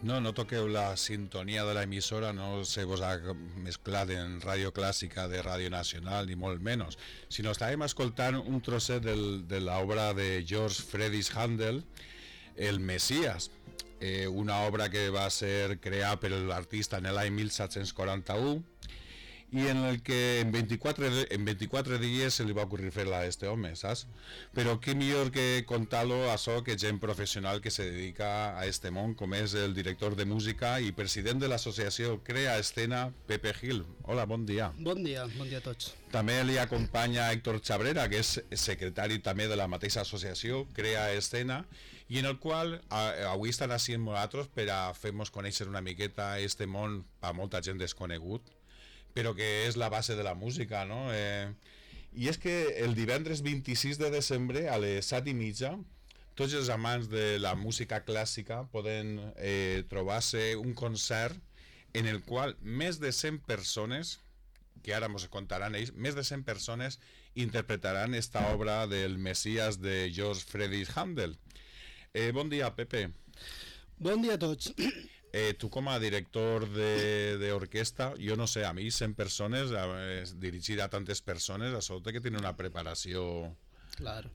No, no toqueu la sintonia de l'emissora, no se vos ha mesclat en ràdio clàssica de Ràdio Nacional, ni molt menys, sinó estàvem escoltant un trosset de l'obra de George Friedrich Händel, El Messias, una obra que va ser creada per l'artista en l'any 1741 i en el que en 24 dies se li va ocorrir fer-la a este home, saps? Però què millor que contar-lo a això que gent professional que se dedica a este món, com és el director de música i president de l'associació Crea Escena, Pepe Gil. Hola, bon dia. Bon dia a tots. També li acompanya Héctor Chabrera, que és secretari també de la mateixa associació Crea Escena, i en el qual avui estan així amb nosaltres per a fer-nos conèixer una miqueta este món a molta gent desconegut, però que és la base de la música, no? I és que el divendres 26 de desembre a les 7:30 tots els amants de la música clàssica poden trobar-se un concert en el qual més de 100 persones, que ara ens contaran ells, més de 100 persones interpretaran esta obra del Messias de George Friedrich Händel. Bon dia, Pepe. Bon dia a tots. Tu com a director d'orquestra, jo no sé, a mi 100 persones, dirigir a tantes persones, això té que tenir una preparació... Claro.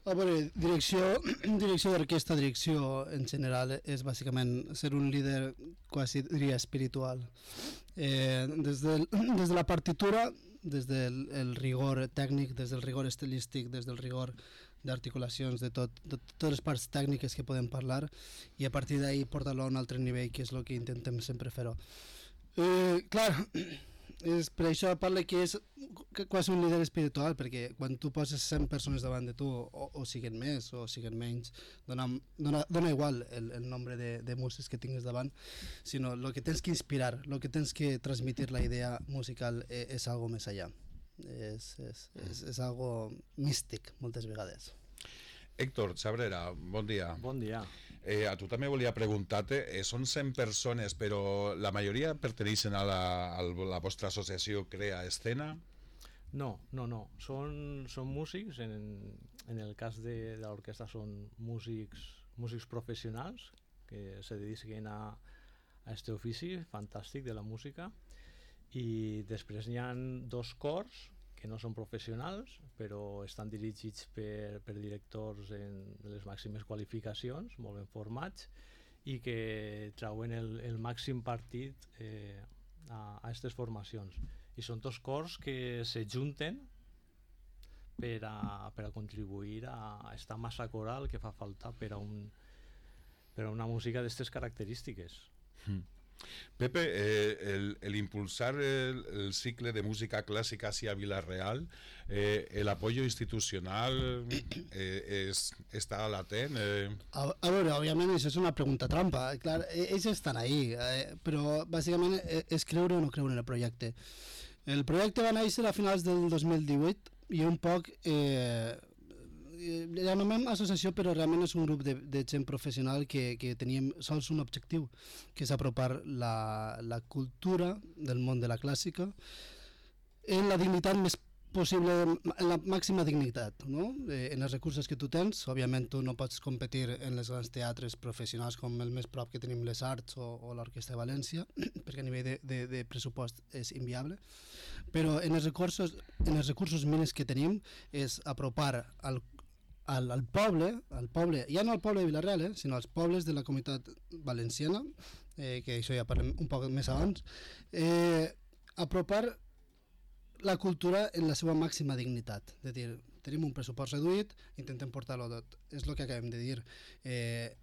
A veure, direcció d'orquestra, direcció en general, és bàsicament ser un líder, quasi diria, espiritual. Des de la partitura, des del rigor tècnic, des del rigor estilístic, des del rigor d'articulacions, de totes les parts tècniques que podem parlar, i a partir d'ahir portar-lo a un altre nivell, que és el que intentem sempre fer-ho. Clar, és per això parla que és quasi un líder espiritual, perquè quan tu poses 100 persones davant de tu, o siguen més o siguen menys, dona igual el nombre de músics que tinguis davant, sinó el que tens que inspirar, el que tens que transmitir la idea musical és algo més allà, és algo místic moltes vegades. Héctor Chabrera, bon dia. Bon dia. A tu també volia preguntar-te, són 100 persones, però la majoria perteneixen a la vostra associació Crea Escena? No. Són músics, en el cas de l'orquestra són músics professionals que se dediquen a este ofici fantàstic de la música, i després n'hi ha 2 cors que no són professionals, però estan dirigits per directors de les màximes qualificacions, molt ben formats, i que trauen el màxim partit a aquestes formacions. I són 2 cors que se junten per a contribuir a esta massa coral que fa falta per a una música d'aquestes característiques. Pepe, el impulsar el cicle de música clásica hacia Villarreal, el apoyo institucional està latent? A veure, òbviament això és una pregunta trampa. Clar, ells estan ahí, però bàsicament és creure o no creure en el projecte. El projecte va néixer a finals del 2018 i un poc la nomem associació, però realment és un grup de gent professional que teníem sols un objectiu, que és apropar la cultura del món de la clàssica en la dignitat més possible, en la màxima dignitat, no? En els recursos que tu tens. Òbviament tu no pots competir en els grans teatres professionals com el més prop que tenim les Arts o l'Orquestra de València, perquè a nivell de pressupost és inviable, però en els recursos mínims que tenim és apropar al poble, ja no al poble de Villarreal, sinó als pobles de la comunitat valenciana, que això ja parlem un poc més abans, apropar la cultura en la seva màxima dignitat. És a dir, tenim un pressupost reduït, intentem portar-lo tot. És el que acabem de dir.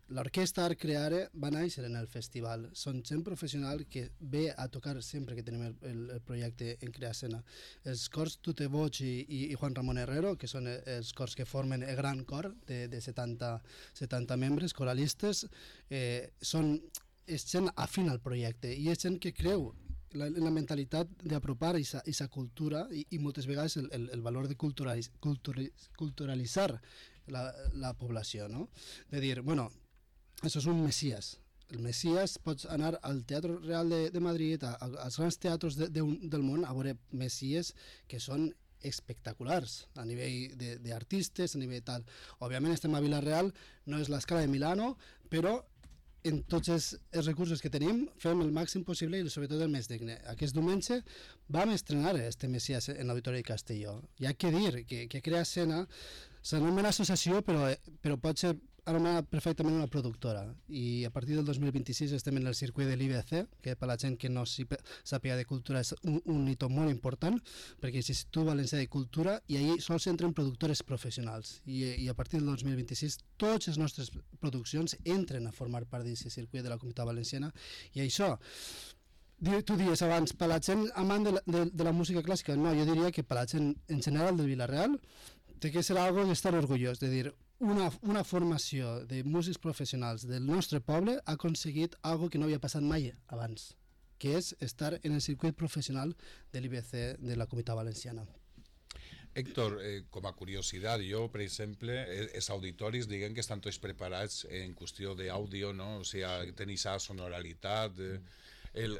L'orquestra Art Creare va néixer en el festival. Són gent professional que ve a tocar sempre que tenim el projecte en Crea Escena. Els cors Tute Boig i Juan Ramón Herrero, que són els cors que formen el gran cor de 70 membres coralistes, és gent afín al projecte i és gent que creu la mentalitat d'apropar aquesta cultura i moltes vegades el valor de culturalitzar la població, no? De dir, bueno, això és un Messias. El Messias, pots anar al Teatre Real de Madrid, als grans teatres del món, a veure Messies que són espectaculars a nivell d'artistes, a nivell tal. Òbviament estem a Villarreal, no és l'escala de Milano, però en tots els recursos que tenim, fem el màxim possible i sobretot el més digne. Aquest diumenge vam estrenar este Messias en l'Auditori de Castelló. Hi ha que dir que Crea Escena s'anomena associació, però pot ser anomenada perfectament una productora, i a partir del 2026 estem en el circuit de l'IBC, que per la gent que no sàpiga de cultura és un hito molt important, perquè és l'Institut Valencià de Cultura, i allí sols entren productores professionals, i a partir del 2026 totes les nostres produccions entren a formar part d'aquest circuit de la Comunitat Valenciana, i això tu dies abans, per la gent amant de la música clàssica, no, jo diria que per la gent en general del Vila-real té que ser algo d'estar orgullós, de dir, una formació de músics professionals del nostre poble ha aconseguit algo que no havia passat mai abans, que és estar en el circuit professional de l'IBC de la Comunitat Valenciana. Héctor, com a curiositat, jo, per exemple, els auditoris, diguem que estan tots preparats en qüestió d'àudio, no? O sigui, tenir aquesta sonoralitat.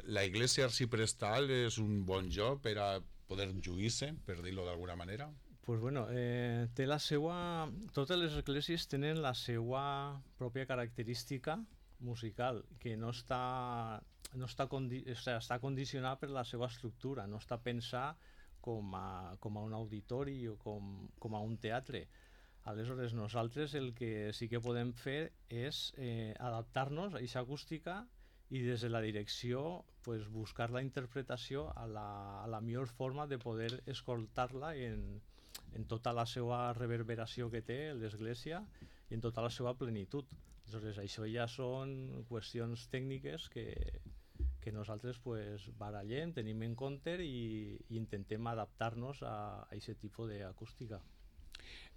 La iglesia arciprestal és un bon lloc per a poder lluir-se, per dir-ho d'alguna manera? Pues bueno, té la seua... Totes les esglésies tenen la seua pròpia característica musical, que està condicionada per la seva estructura, no està pensat com a un auditori o com a un teatre. Aleshores, nosaltres el que sí que podem fer és adaptar-nos a aquesta acústica i des de la direcció pues, buscar la interpretació a la millor forma de poder escoltar-la en tota la seva reverberació que té l'església i en tota la seva plenitud. Aleshores, això ja són qüestions tècniques que nosaltres pues, barallem, tenim en compte i intentem adaptar-nos a aquest tipus d'acústica.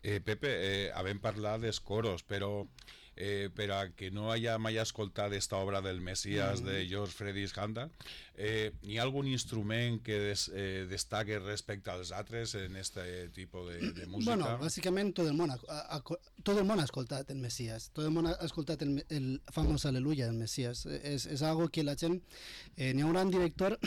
Pepe, havem parlat dels coros, però per a que no haya mai escoltat esta obra del Messias de George Friedrich Händel, hi ha algun instrument que destaque respecte als altres en este tipus de música? Bueno, bàsicament tot el món ha escoltat el Messias, tot el món ha escoltat el famós Aleluya del Messias. És algo que la gent... N'hi ha un gran director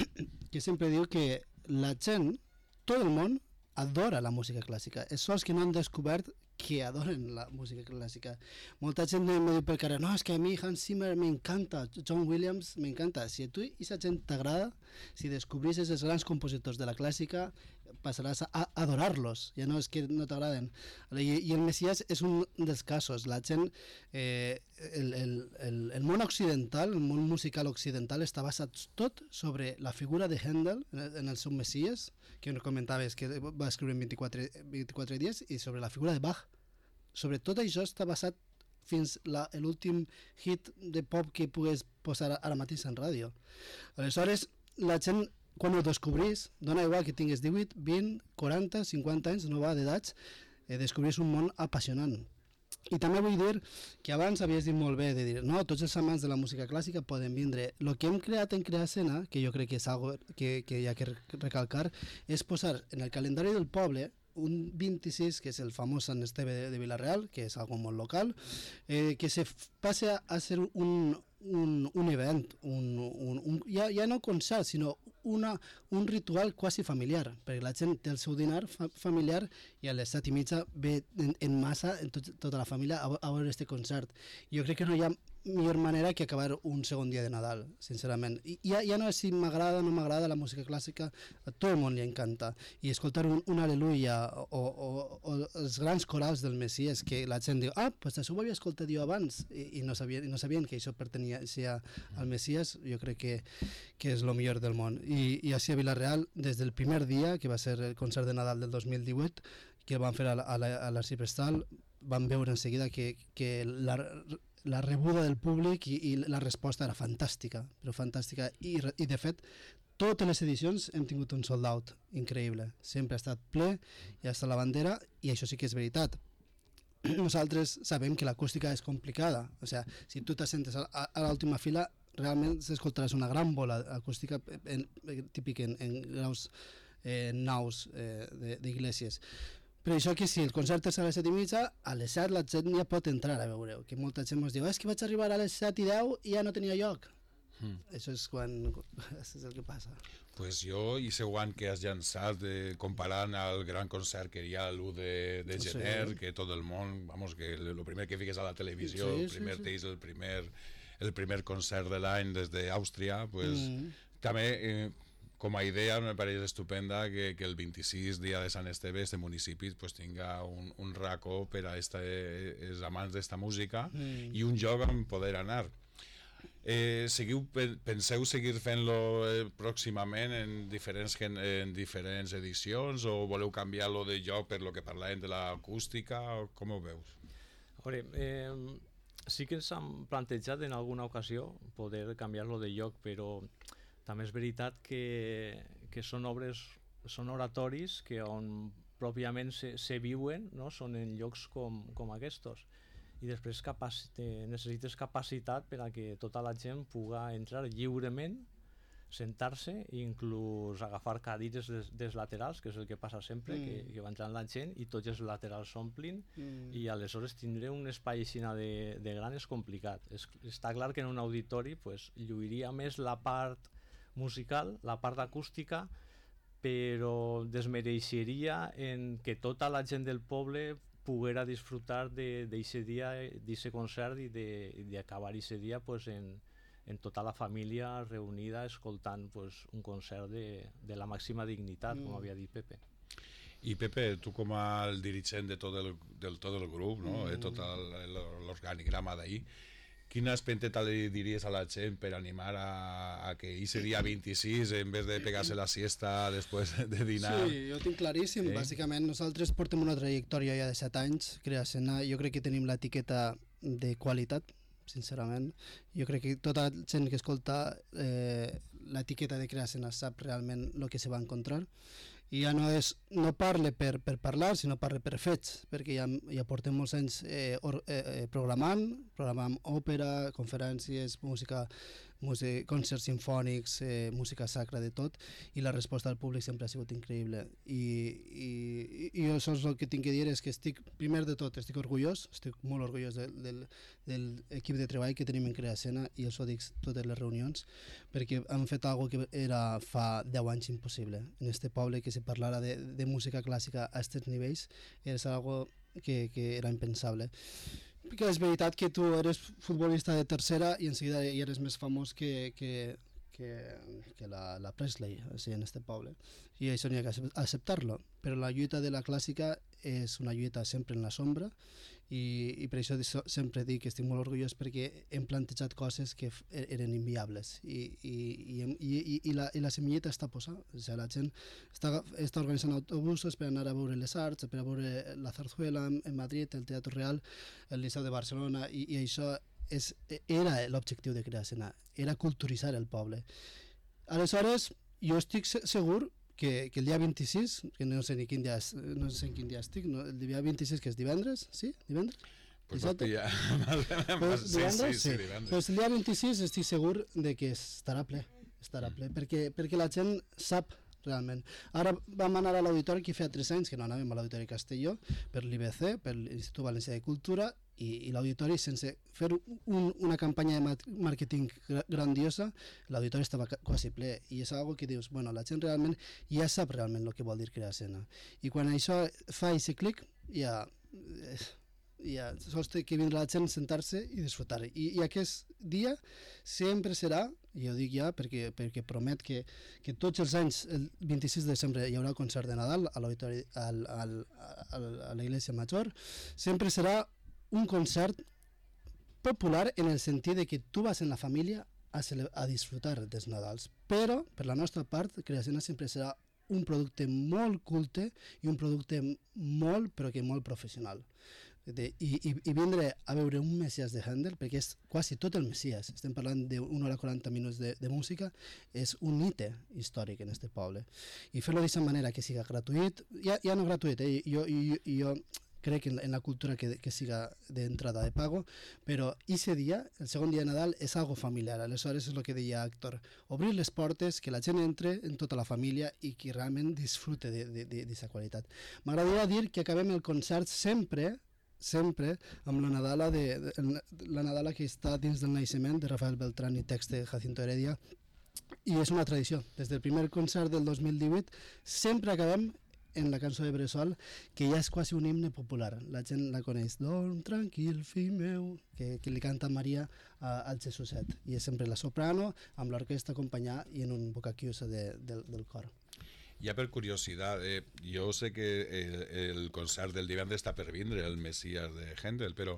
que sempre diu que la gent, tot el món, adora la música clàssica. És sols que no han descobert que adoren la música clàssica. Molta gent me diu per carrer, no, és que a mi Hans Zimmer m'encanta, John Williams m'encanta. Si a tu aquesta gent t'agrada, si descobrisses els grans compositors de la clàssica, passaràs a adorar-los, ja no és que no t'agraden. I el Messias és un dels casos. La gent, el món occidental, el món musical occidental està basat tot sobre la figura de Händel en el seu Messias, que comentaves que va escriure en 24 dies, i sobre la figura de Bach. Sobre tot això està basat fins l'últim hit de pop que pugues posar ara mateix en ràdio. Aleshores, la gent, quan ho descobrís, dona igual que tingues 18, 20, 40, 50 anys, no va d'edats, descobrís un món apassionant. I també vull dir que abans havies dit molt bé de dir, no, tots els amants de la música clàssica poden vindre. El que hem creat en Crea Escena, que jo crec que és algo que hi ha que recalcar, és posar en el calendari del poble un 26, que és el famós Sant Esteve de Vila-real, que és algo molt local, que se passe a ser un event, ja no concert, sinó un ritual quasi familiar, perquè la gent té el seu dinar familiar i a les 7:30 ve en massa tota la família a veure este concert. Jo crec que no hi ha millor manera que acabar un segon dia de Nadal, sincerament. Ja no és si m'agrada o no m'agrada la música clàssica, a tot el món li encanta. I escoltar un Aleluia o els grans corals del Messias, que la gent diu, pues això ho havia escoltat jo abans, i no sabien que això pertanyia al Messias, jo crec que és el millor del món. I així a Vila-real, des del primer dia, que va ser el concert de Nadal del 2018, que van fer a l'Arciprestal, van veure en seguida que la rebuda del públic i la resposta era fantàstica, però fantàstica, i de fet totes les edicions hem tingut un sold out increïble, sempre ha estat ple, i ha estat la bandera, i això sí que és veritat. Nosaltres sabem que l'acústica és complicada, o sigui, si tu t'assentes a l'última fila realment s'escoltaràs una gran bola acústica típic en graus naus d'iglesias. Per això que si el concert és a les 7:30, a les 7 la gent ja pot entrar a veure-ho, que molta gent ens diu, és que vaig arribar a les 7:10 i ja no tenia lloc. Això és el que passa. Pues jo, i següent que has llançat comparant al gran concert que hi ha l'1 de gener, que tot el món, vamos, que el primer que fiques a la televisió, el primer teis, el primer el primer concert de l'any des d'Àustria, pues, també com a idea me pareix estupenda que el 26, dia de Sant Esteve, este municipi pues, tinga un racó per a els amants d'esta música i un lloc on poder anar. Penseu seguir fent-lo pròximament en diferents edicions o voleu canviar-lo de lloc per lo que parlàvem de l'acústica? Com ho veus? A veure, sí que ens han plantejat en alguna ocasió poder canviar-lo de lloc, però també és veritat que són obres, són oratoris que on pròpiament se viuen, no? Són en llocs com aquests. I després necessites capacitat per a que tota la gent puga entrar lliurement, sentar-se i inclús agafar cadires dels laterals, que és el que passa sempre, que va entrant la gent i tots els laterals s'omplin i aleshores tindre un espai així de gran és complicat. Està clar que en un auditori pues, lluiria més la part musical, la part acústica, però desmereixeria en que tota la gent del poble poguera disfrutar d'aquest dia, d'aquest concert i d'acabar aquest dia pues, en tota la família reunida escoltant pues, un concert de la màxima dignitat, com havia dit Pepe. I Pepe, tu com a dirigent de tot el grup, no? Tot l'organigrama d'ahir, quina espenteta li diries a la gent per animar a que ese dia 26, en vez de pegar-se la siesta després de dinar? Sí, jo ho tinc claríssim. Bàsicament, nosaltres portem una trajectòria ja de 7 anys, Crea Escena. Jo crec que tenim l'etiqueta de qualitat, sincerament. Jo crec que tota la gent que escolta l'etiqueta de Crea Escena sap realment el que se va encontrar. I ja no parle per parlar, sinó parle per fets, perquè ja portem molts anys programant òpera, conferències, música, concerts sinfònics, música sacra, de tot, i la resposta del públic sempre ha sigut increïble. I jo això és el que tinc que dir, és que primer de tot, estic molt orgullós de l'equip de treball que tenim en Crea Escena, i això dic totes les reunions, perquè han fet alguna cosa que era fa 10 anys impossible. En este poble que se parlara de música clàssica a aquests nivells és algo que era impensable. Perquè és veritat que tu eres futbolista de tercera i en seguida ja eres més famós que la Presley, així, en este poble. I això n'hi ha que acceptar-lo. Però la lluita de la clàssica és una lluita sempre en la sombra, i per això sempre dic que estic molt orgullós, perquè hem plantejat coses que eren inviables i la semilleta està posada. O sigui, la gent està organitzant autobusos per anar a veure les arts, per a veure la Zarzuela en Madrid, el Teatre Real, el Liceu de Barcelona, i això era l'objectiu de Crea Escena, era culturitzar el poble. Aleshores, jo estic segur que el dia 26, que no sé en quin dia estic, el dia 26, que és divendres, sí? Divendres? Pues ja. Sí. Pues el dia 26 estic segur de que estarà ple, perquè la gent sap realment. Ara vam anar a l'auditori, que feia 3 anys que no anàvem a l'auditori Castelló, per l'IBC, per l'Institut Valencià de Cultura, i l'auditori, sense fer una campanya de màrqueting grandiosa, l'auditori estava quasi ple, i és algo que dius, bueno, la gent realment ja sap realment el que vol dir Crea Escena, i quan això fa aquest clic, ja sols té que vindre la gent, sentar-se i disfrutar. I aquest dia sempre serà, i ho dic ja perquè promet que tots els anys, el 26 de desembre, hi haurà concert de Nadal a l'auditori, a la Iglesia Major, sempre serà un concert popular en el sentit de que tu vas en la família a disfrutar dels Nadals, però per la nostra part Crea Escena sempre serà un producte molt culte i un producte molt, però que molt professional. I vindre a veure un Messias de Händel, perquè és quasi tot el Messias, estem parlant d'1 hora 40 minuts de música, és un hito històric en este poble, i fer-lo d'aquesta manera que siga gratuït, ja no gratuït, jo crec en la cultura que siga d'entrada de pago, però aquest dia, el segon dia de Nadal, és algo familiar. Aleshores és el que deia Héctor, obrir les portes, que la gent entre en tota la família i que realment disfrute d'aquesta qualitat. M'agradaria dir que acabem el concert sempre amb la Nadala que està dins del naixement de Rafael Beltrán i text de Jacinto Heredia, i és una tradició. Des del primer concert del 2018 sempre acabem en la cançó de Bressol, que ja és quasi un himne popular. La gent la coneix. Dorm tranquil, fill meu, que li canta Maria al Jesuset. I és sempre la soprano, amb l'orquestra acompanyada i en un bocachiuso del cor. Ja per curiositat, jo sé que el concert del divendres està per vindre, el Messias de Händel, però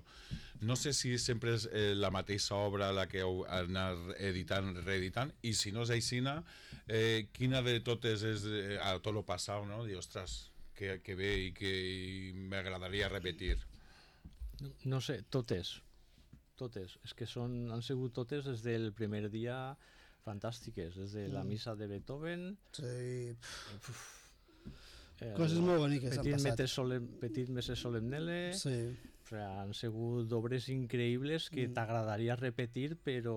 no sé si sempre és la mateixa obra la que heu anat editant, reeditant, i si no és aixina, quina de totes és a tot lo passat, no? Dic, ostres, que bé i que m'agradaria repetir. No sé, totes. És que han sigut totes des del primer dia fantàstiques, des de la missa de Beethoven. Sí. Coses molt boniques han passat. Petit Messe Solemnele. Sí. O sigui, han sigut obres increïbles que t'agradaria repetir, però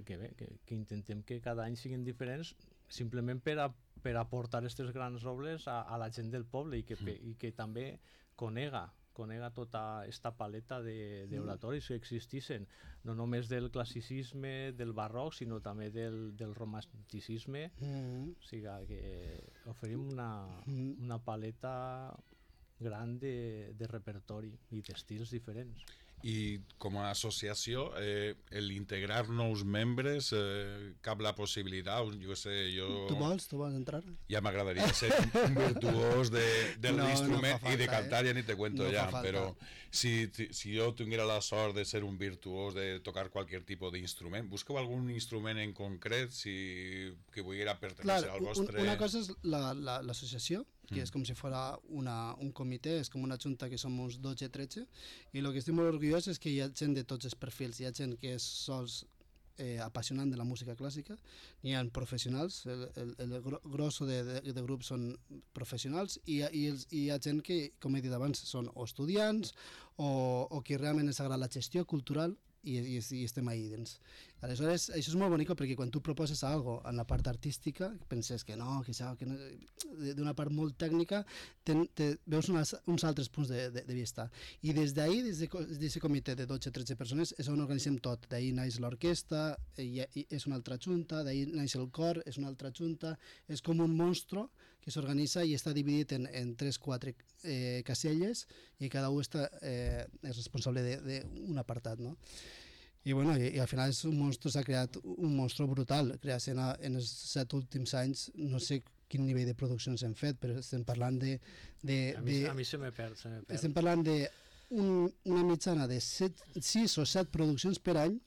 que intentem que cada any siguin diferents, simplement per aportar aquestes grans obres a la gent del poble i que també conega tota aquesta paleta d'oratoris que existissin, no només del classicisme, del barroc, sinó també del romanticisme. O sigui que oferim una paleta gran de repertori i d'estils diferents. I com a associació, l'integrar nous membres, cap la possibilitat, jo sé, Tu vols entrar? Ja m'agradaria ser un virtuós de l'instrument i de cantar, ja ni te cuento ja, però si jo tinguera la sort de ser un virtuós, de tocar qualsevol tipus d'instrument, busqueu algun instrument en concret que volguera pertenèixer al vostre... Una cosa és l'associació, que és com si fos un comitè, és com una junta que som uns 12-13, i el que estic molt orgullós és que hi ha gent de tots els perfils, hi ha gent que és sols apassionant de la música clàssica, hi ha professionals, el grosso de grups són professionals, i hi ha gent que, com he dit abans, són o estudiants o que realment els agrada la gestió cultural i estem ahí dins. Aleshores, això és molt bonic perquè quan tu proposes algo en la part artística, penses que no, d'una part molt tècnica, veus uns altres punts de vista. I des d'ahir, des d'aquest comitè de 12-13 persones, és on organitzem tot. D'ahir naix l'orquestra, és una altra junta, d'ahir naix el cor, és una altra junta, és com un monstru que s'organitza i està dividit en 3-4 caselles i cada un és responsable d'un apartat, no? I al final és un monstru, s'ha creat un monstru brutal, creat en els 7 últims anys, no sé quin nivell de produccions hem fet, però estem parlant A mi se me perd. Estem parlant d'una mitjana de 6 o 7 produccions per any,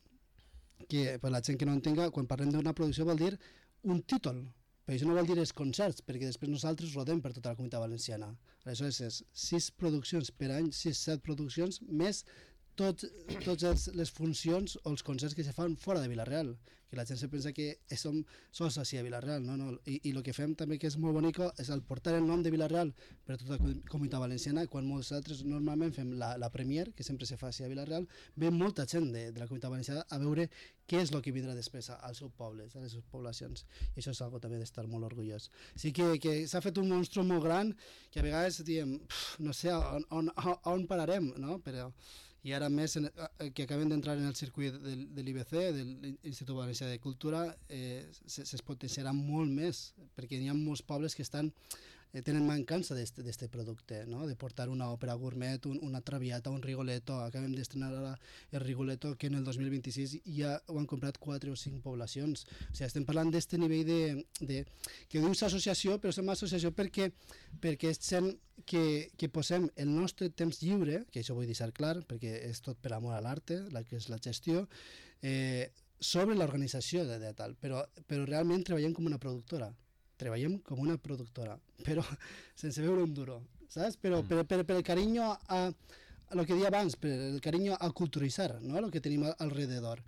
que per la gent que no entenga, quan parlem d'una producció vol dir un títol, però això no vol dir els concerts, perquè després nosaltres rodem per tota la Comunitat Valenciana. Aleshores és 6 produccions per any, 6-7 produccions, més totes les funcions o els concerts que se fan fora de Vila-real, que la gent se pensa que som sols així a Vila-real, no? I el que fem també que és molt bonic és el portar el nom de Vila-real per tota la Comunitat Valenciana, quan nosaltres normalment fem la premier, que sempre se fa així a Vila-real, ve molta gent de la Comunitat Valenciana a veure què és el que vindrà després als seus pobles, a les seves poblacions, i això és algo també d'estar molt orgullós. Sí que s'ha fet un monstru molt gran, que a vegades diem, no sé on pararem, no? Però i ara més que acabem d'entrar en el circuit de l'IBC, de l'Institut Valencià de Cultura, es potenciarà molt més, perquè hi ha molts pobles que tenen mancança d'aquest producte, no? De portar una òpera gourmet, una traviata, un Rigoletto. Acabem d'estrenar ara el Rigoletto, que en el 2026 ja ho han comprat 4 o 5 poblacions. O sigui, estem parlant d'aquest nivell que dius associació, però som associació perquè és gent que posem el nostre temps lliure, que això vull deixar clar, perquè és tot per amor a l'arte, que és la gestió, sobre l'organització de tal, però realment treballem com una productora. Treballem com una productora, però sense veure un duro, saps? Però per el carinyo a el que deia abans, per el carinyo a culturitzar, no? El que tenim alrededor.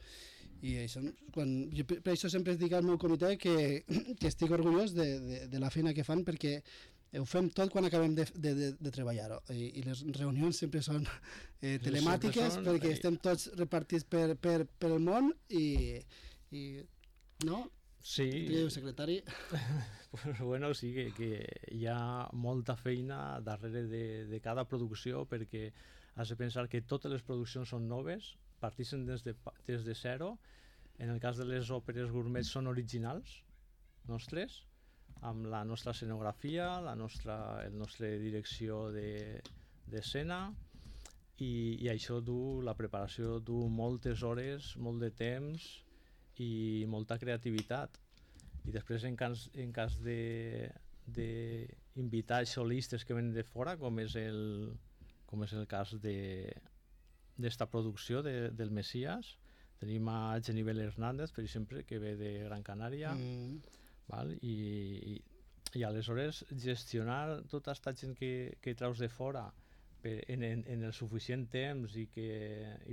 I això, per això sempre dic al meu comitè que estic orgullós de la feina que fan, perquè ho fem tot quan acabem de treballar-ho. I les reunions sempre són telemàtiques, perquè estem tots repartits per el món i no? Sí. Trieu secretari. Bueno, sí que hi ha molta feina darrere de cada producció, perquè has de pensar que totes les produccions són noves, partixen des de zero. En el cas de les òperes gourmet són originals nostres, amb la nostra escenografia, el nostre direcció d'escena, i això la preparació du moltes hores, molt de temps i molta creativitat. I després en cas d'invitar solistes que venen de fora, com és el cas d'esta producció del Messias, tenim a Genivel Hernández, per exemple, que ve de Gran Canària, val? I aleshores gestionar tota aquesta gent que traus de fora en el suficient temps i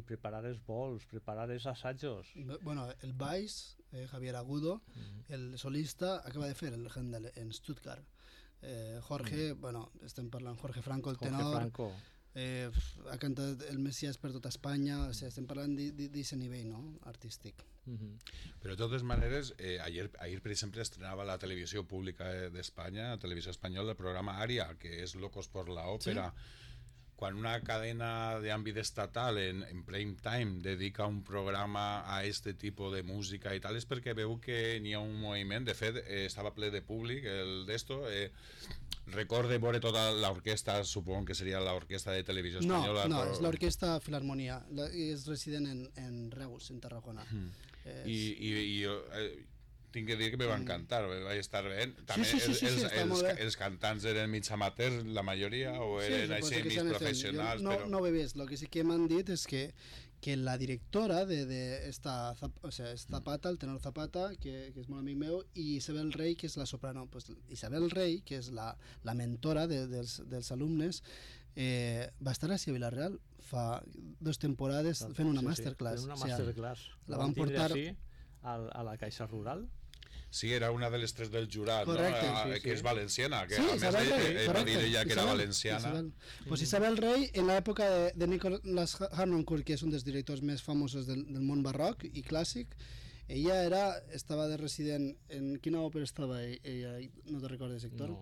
preparar els vols, preparar els assajos. Bueno, el baix, Javier Agudo, el solista, acaba de fer el Händel en Stuttgart. Jorge, bueno, estem parlant Jorge Franco, el tenor. Jorge Franco. Ha cantat el Messias per tota Espanya, o sigui, estem parlant d'aquest nivell, no?, artístic. Pero de todas maneras, ayer por ejemplo estrenaba la televisión pública de España, la televisión española, el programa Aria, que es Locos por la Ópera. ¿Sí? Quan una cadena d'àmbit estatal en prime time dedica un programa a este tipus de música i tal, és perquè veu que n'hi ha un moviment. De fet, estava ple de públic el d'esto. Recorde veure tota l'orquestra, supongo que seria l'orquestra de televisió espanyola. No, és l'orquestra Filarmonia, és resident en Reus, en Tarragona. I tinc que dir que me va encantar, vaig estar bé. També els cantants eren mig amateurs, la majoria, o eren així mig professionals. No ho he vist, el que sí que m'han dit és que la directora Zapata, el tenor Zapata, que és molt amic meu, i Isabel Rey, que és la soprano. Isabel Rey, que és la mentora dels alumnes, va estar a Vilareal fa 2 temporades fent una masterclass. Una masterclass. La van portar a la Caixa Rural. Sí, era una de les 3 del jurat, correcte, no? Que és valenciana, que sí, a més va dir ella que era valenciana. Pues Isabel Rey, en l'època de Nicolas Harnoncourt, que és un dels directors més famosos del món barroc i clàssic, ella estava de resident en quina òpera estava ella? No te recordes, Héctor?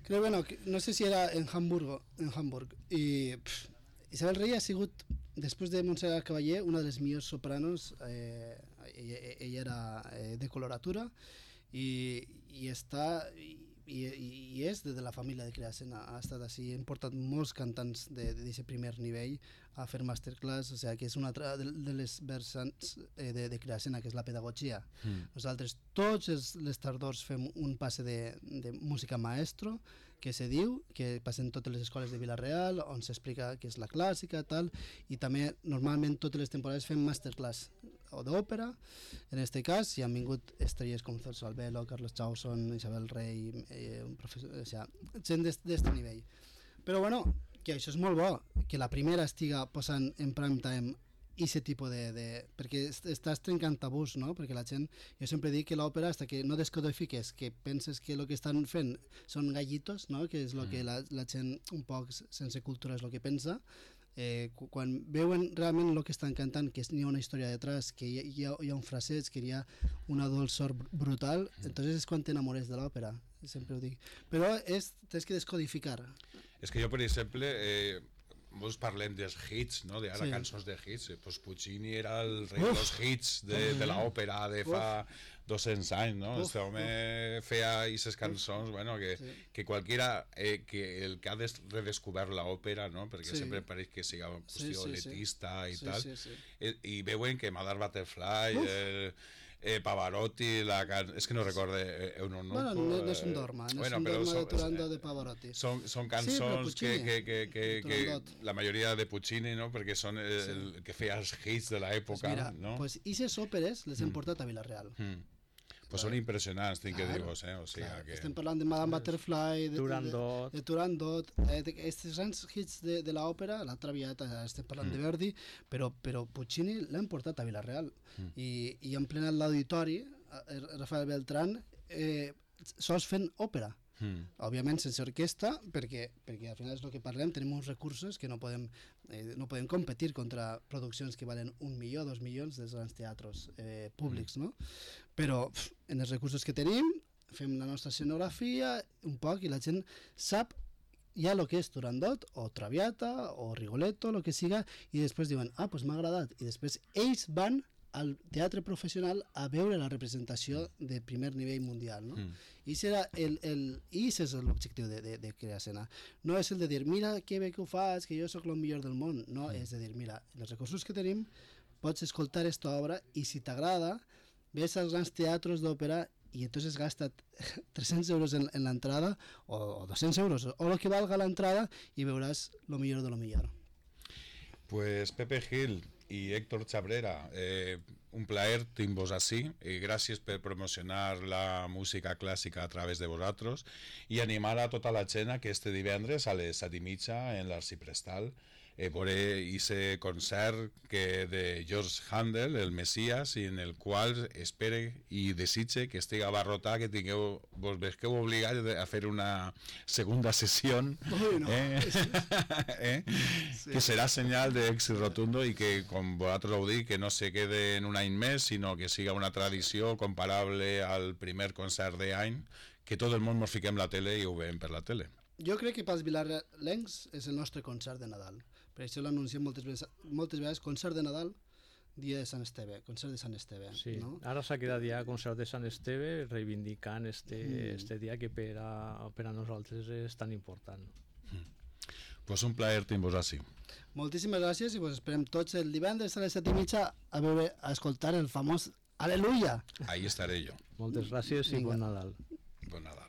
Creo, bueno, no sé si era en Hamburg. I Isabel Rey ha sigut, després de Montserrat Caballé, una de les millors sopranos. Ella era de coloratura i és de la família de Creasena. Ha estat així, hem portat molts cantants d'aquest primer nivell a fer masterclass, o sigui que és una altra de les vessants de Creasena, que és la pedagogia. Nosaltres tots les tardors fem un passe de música maestro, que se diu, que passen totes les escoles de Vila-real, on s'explica què és la clàssica, tal, i també normalment totes les temporades fem masterclass o d'òpera. En aquest cas hi han vingut estrelles com Celso Albelo, Carlos Chauson, Isabel Rey, un professor, o sigui, gent d'aquest nivell. Però bueno, que això és molt bo, que la primera estiga posant en prime time aquest tipus perquè estàs trencant tabús, no? Perquè la gent, jo sempre dic que l'òpera, fins que no descodifiques, que penses que el que estan fent són gallitos, no? Que és el que la gent un poc sense cultura és el que pensa, quan veuen realment el que estan cantant, que hi ha una història detrás, que hi ha un fraseig, que hi ha una dolçor brutal, entonces és quan t'enamores de l'òpera, sempre ho dic. Però tens que descodificar. És que jo, per exemple, molts parlem dels hits, no? D'ara Sí. cançons de hits. Pues Puccini era el rei dels hits de l'òpera de fa 200 anys, no? Este home feia aquestes cançons, bueno, que qualquiera, que el que ha redescobert l'òpera, no? Perquè Sí. sempre pareix que sigui una qüestió elitista i Sí, tal. sí, sí. I veuen que Madame Butterfly, Pavarotti, és que no recorde Eunuco. Bueno, no és un dorma, no és un dorma de Turandot de Pavarotti. Són cançons que Turandot. la majoria de Puccini, no? Perquè són el que feia els hits de l'època, Mira, no? pues aquestes òperes les hem portat a Vilareal. Pues són impressionants, tinc que dir-vos, o sigui Clar, que... estem parlant de Madame Butterfly, Turandot. de Turandot, aquests grans hits de l'òpera, la Traviata, estem parlant de Verdi, però Puccini l'hem portat a Vilareal i han plenat l'auditori, Rafael Beltrán, sols fent òpera. Òbviament sense orquestra, perquè al final és el que parlem, tenim uns recursos que no podem competir contra produccions que valen 1 milió, 2 milions dels grans teatres públics, no? Però en els recursos que tenim fem la nostra escenografia un poc i la gent sap ja el que és Turandot o Traviata o Rigoletto, el que siga, i després diuen, pues m'ha agradat, i després ells van al teatre professional a veure la representació de primer nivell mundial, no? I això és l'objectiu de crear escena. No és el de dir, mira que bé que ho fas, que jo sóc el millor del món. No, és de dir, mira, els recursos que tenim, pots escoltar aquesta obra i si t'agrada, ves als grans teatres d'òpera i entonces gasta 300 euros en l'entrada o 200 euros o el que valga l'entrada i veuràs lo millor de lo millor. Pues Pepe Gil y Héctor Chabrera, un plaer tenir-vos així, gràcies per promocionar la música clàssica a través de vosaltres i animar a tota la gent que este divendres a les 7:30 en l'Arciprestal veure ese concert de George Handel, el Messias, en el qual espere i desitge que estigui abarrotat, que vos vesqueu obligats a fer una segunda sessió, que serà senyal d'èxit rotundo i que, com vosaltres heu dit, que no se quede en un any més, sinó que siga una tradició comparable al primer concert d'any, que tot el món ens fiquem la tele i ho veiem per la tele. Jo crec que pels vilarencs és el nostre concert de Nadal. Per això l'anunciem moltes vegades, concert de Nadal, dia de Sant Esteve, concert de Sant Esteve. Sí, no? ara s'ha quedat ja concert de Sant Esteve reivindicant este dia que per a nosaltres és tan important. Pues un plaer tenir-vos així. Moltíssimes gràcies i vos esperem tots el divendres a les 7:30 a escoltar el famós Aleluia. Ahí estaré jo. Moltes gràcies i bon Nadal. Bon Nadal.